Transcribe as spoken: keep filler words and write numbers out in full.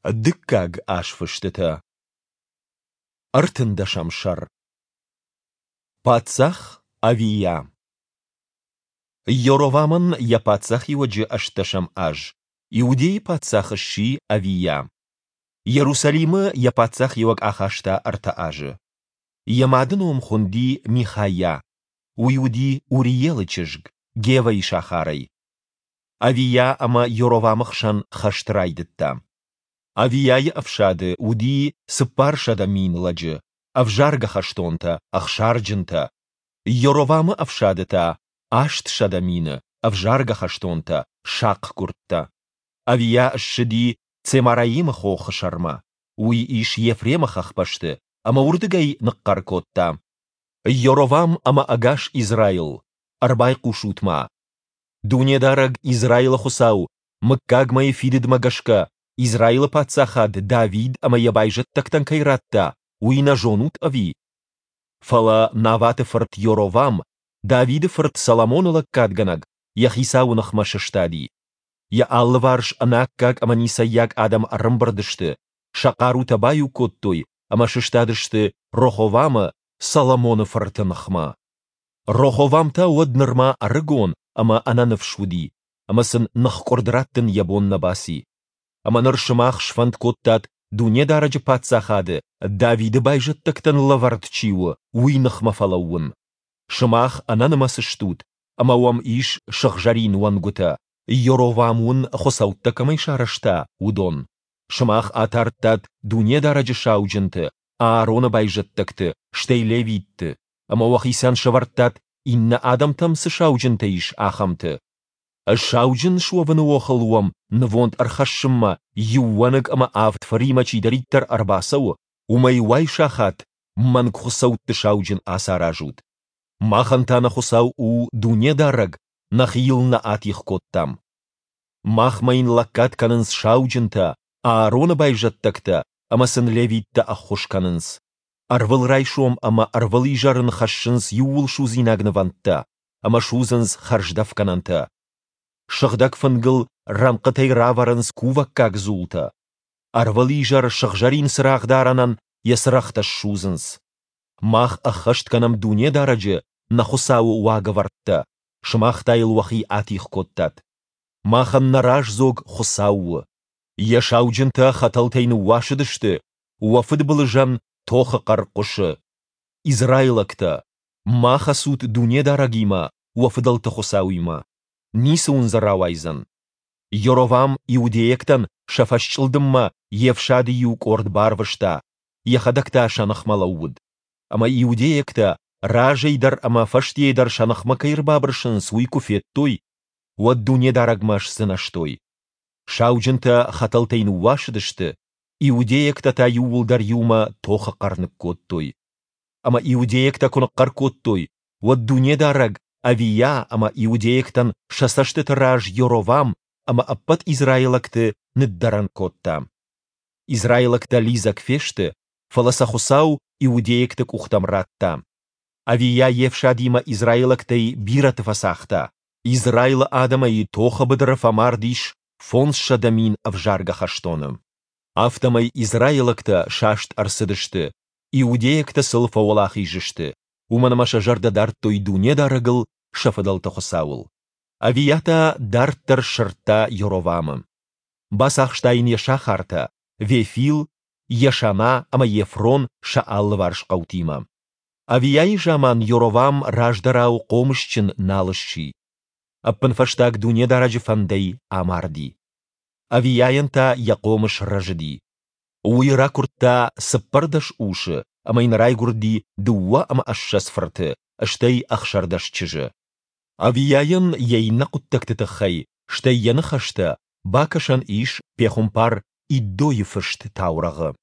Дыккаг азфыстытӕ. Ӕртындӕсӕм сӕр. Паддзах Авийа. Йоровамӕн йӕ паддзахиуӕджы ӕстдӕсӕм аз Иудӕйы паддзах сси Авийа. Йерусалимы йӕ паддзахиуӕг ахаста ӕртӕ азы. Йӕ мады ном хуынди Михайа, уый уыди Уриелы чызг, Гевӕйы сахарӕй. Авийа ӕмӕ Йоровамы хсӕн хӕст райдыдта. Авийайы ӕфсады уыди цыппарсӕдӕ мин лӕджы, ӕвзаргӕ хӕстонтӕ, ӕхсарджынтӕ. Йоровамы ӕфсады та астсӕдӕ мины, ӕвзаргӕ хӕстонтӕ, сахъгуырдтӕ. Авийа ссыди Цемараимы хохы сӕрмӕ, уый ис Ефремы хӕхбӕсты, ӕмӕ уырдыгӕй ныхъхъӕр кодта: Йоровам ӕмӕ ӕгас Израил, ӕрбайхъусут-ма! Дунедарӕг, Израилы Хуыцау, мыггагмӕйы фидыдмӕ гӕсгӕ, Израилы паддзахад Давид ӕмӕ йӕ байзӕддӕгтӕн кӕй радта, уый нӕ зонут, ӕви? Фӕлӕ Наваты фырт Йоровам, Давиды фырт Соломоны лӕггадгӕнӕг, йӕ хицауы ныхмӕ сыстади. Йӕ алыварс ӕнаккаг ӕмӕ ницӕййаг адӕм ӕрӕмбырд сты, сӕ хъарутӕ баиу кодтой ӕмӕ сыстадысты Роховамы, Соломоны фырты ныхмӕ. Роховам та уӕд нырма ӕрыгон ӕмӕ ӕнӕныфс уыди, ӕмӕ сын ныхкъуырд раттын йӕ бон нӕ баци. Ӕмӕ ныр сымах сфӕнд кодтат Дунедарӕджы паддзахады, Давиды байзӕддӕгтӕн лӕвӕрд чи у, уый ныхмӕ фӕлӕууын. Сымах ӕнӕнымӕц стут, ӕмӕ уӕм ис сыгъзӕрин уӕнгуытӕ, Йоровам уын хуыцӕуттӕ кӕмӕй сарӕзта, уыдон. Сымах атардтат Дунедарӕджы сауджынты, Аароны байзӕддӕгты, стӕй левитты, ӕмӕ уӕхицӕн сӕвӕрдтат, иннӕ адӕмтӕм цы сауджынтӕ ис, ахӕмты. Сауджын суӕвыны охыл уӕм нывонд ӕрхӕссынмӕ иу уӕныг ӕмӕ авд фыримӕ чидӕриддӕр ӕрбацӕуы, уымӕй уайсахат мӕнгхуыцӕутты сауджын ацаразут. Махӕн та нӕ Хуыцау у Дунедарӕг, нӕхи йыл нӕ атигъ кодтам. Махмӕ йын лӕггад кӕнынц сауджынтӕ, Аароны байзӕддӕгтӕ ӕмӕ сын левиттӕ ӕххуыс кӕнынц. Ӕрвылрайсом ӕмӕ ӕрвылизӕр ын хӕссынц иууылсудзинаг нывӕндтӕ ӕмӕ судзынц хӕрздӕфгӕнӕнтӕ. Сыгъдӕг фынгыл рӕнхъытӕй равӕрынц кувӕггаг дзултӕ. Ӕрвылизӕр сыгъзӕрин цырагъдарӕнӕн йӕ цырӕгътӕ ссудзынц. Мах ӕххӕст кӕнӕм Дунедарӕджы, нӕ Хуыцауы уагӕвӕрдтӕ, сымах та йыл уӕхи атигъ кодтат. Махӕн нӕ раздзог Хуыцау у. Йӕ сауджынтӕ хӕтӕлтӕй ныууасыдысты, уӕ фыдбылызӕн тохы хъӕр хъуысы. Израилӕгтӕ, ма хӕцут Дунедарӕгимӕ, уӕ фыдӕлты Хуыцауимӕ. Ницы уын дзы рауайдзӕн. Йоровам иудейӕгтӕн сӕ фӕсчъылдыммӕ йе фсады иу къорд барвыста, йӕхӕдӕг та сӕ ныхмӕ лӕууыд. Ӕмӕ иудейӕгтӕ разӕй дӕр ӕмӕ фӕстейӕ дӕр сӕ ныхмӕ кӕй ӕрбабырсынц, уый куы федтой, уӕд Дунедарӕгмӕ сдзынӕзтой. Сауджынтӕ хӕтӕлтӕй ныууасыдысты, иудейӕгтӕ та иууылдӕр иумӕ тохы хъӕр ныккодтой. Ӕмӕ иудейӕгтӕ куы ныхъхъӕр кодтой, уӕд Дунедарӕг Авийа ӕмӕ иудейӕгтӕн сӕ цӕстыты раз Йоровам ӕмӕ ӕппӕт израилӕгты ныддӕрӕн кодта. Израилӕгтӕ лидзӕг фесты, фӕлӕ сӕ Хуыцау иудейӕгты къухтӕм радта. Авийа йе фсадимӕ израилӕгтӕй бирӕты фӕцагъта. Израилы адӕмӕй тохы быдыры фӕмард ис фондзсӕдӕ мин ӕвзаргӕ хӕстоны. Афтӕмӕй израилӕгтӕ саст ӕрцыдысты, иудейӕгтӕ сыл фӕуӕлахиз сты, уымӕн ӕмӕ сӕ зӕрдӕ дардтой Дунедарӕгыл, сӕ фыдӕлты Хуыцауыл. Авийа та дарддӕр сырдта Йоровамы. Бацахста йын йӕ сахартӕ, Вефил, Йешана ӕмӕ Ефрон сӕ алыварс хъӕутимӕ. Авийайы заман Йоровам раздӕрау хъомысджын нал сси. Ӕппынфӕстаг Дунедарӕджы фӕндӕй амарди. Авийайӕн та йӕ хъомыс рӕзыди. Уый ракуырдта цыппӕрдӕс усы ӕмӕ йын райгуырди дыууӕ ӕмӕ ссӕдз фырты, стӕй ӕхсӕрдӕс чызджы. Авийайӕн йӕ иннӕ хъуыддӕгты тыххӕй, стӕй йӕ ныхӕстӕ, бакӕсӕн ис пехуымпар Иддойы фыст таурӕгъы.